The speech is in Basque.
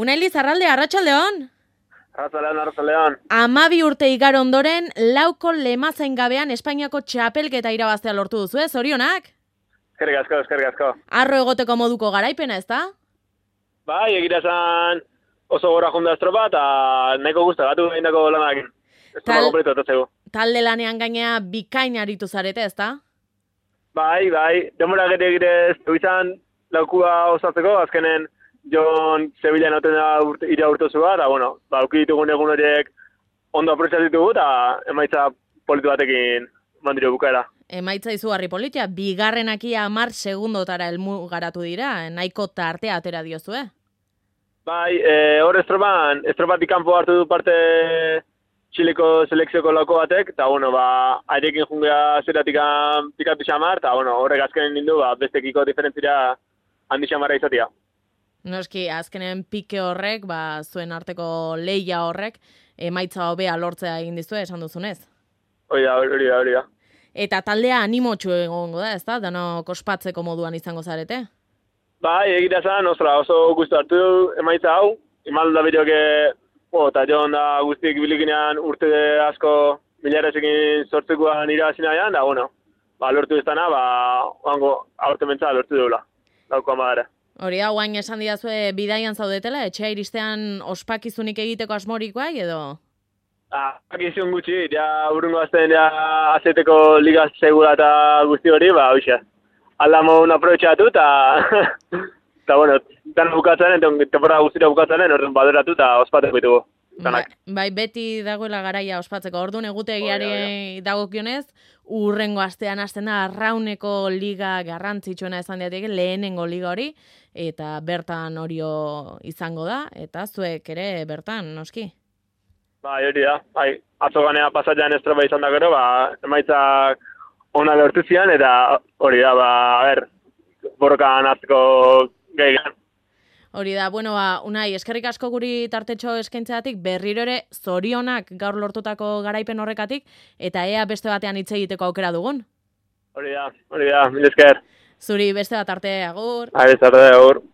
Unai Lizarralde, arratsaldeon. Arratsaldeon. 12 urte igaro ondoren, lauko lemazain gabean Espainiako txapelketa irabaztea lortu duzu, zorionak? Eskerrik asko. Arro egoteko moduko garaipena, ezta? Bai, egira esan oso gora junda estropa, eta nahiko guztagatu egindako lanakin. Estropa kompletu etatzeko. Talde lanean gainea bikain aritu zarete, ezta? Bai, demora egire izan laukua osatzeko, azkenen Jon Sevillan hauten da ira urtozu bat, eta, auki ditugun egun horiek ondo apreciatu ditugu, eta emaitza politu batekin mandiro bukaera. Emaitza izugarri politia, bigarrenaki 10 segundotara helmugaratu dira, nahiko tartea atera diozue. Bai, hor estropatik kanpo hartu du parte Txileko selekzioko lauko batek, eta, airekin jungea zeratik pikatu xamar, eta, horrek azkenen nindu, bestekiko diferentzira handi xamarra izatea. Noski, azkenen pike horrek, zuen arteko leia horrek, emaitza hobea lortzea egin dizue, esan duzunez. Hori da. Eta taldea animotxu egongo da, ezta? Danok ospatzeko moduan izango zarete? Bai, egira zan, oso guztu hartu du emaitza hau. Imal da bideoke, eta Jon da guztik bilikinean urte asko milarezekin sortzekoan irabazina ean, da, lortu iztana, aurte mentza lortu dugula, laukoan badara. Hori da, guain esan didazue bidaian zaudetela, etxea iristean ospakizunik egiteko asmorikoa, edo? Akizun gutxi, urrungo azten azeteko liga segura eta guzti hori, hoxe. Aldamo un aprobetxatu eta, dana bukatzaren, temporada guztira bukatzaren, horren baderatu eta ospateko ditugu. Bai, beti dagoela garaia ospatzeko. Orduan egutegiari dagokionez, urrengo astean hasten da arrauneko liga garrantzitsuena esan diatek, lehenengo liga hori, eta bertan horio izango da, eta zuek ere bertan, noski? Bai, hori da. Atzo ganea pasatzean estropa izan da gero, emaitzak ona lortu zian, eta hori da, borrokan hartzeko gaigan. Hori da, Unai, eskerrik asko guri tartetxo eskaintzeatik, berriro ere zorionak gaur lortutako garaipen horrekatik, eta ea beste batean hitz egiteko aukera dugun. Hori da, mil esker. Zuri beste bat arte, agur. Beste arte, agur.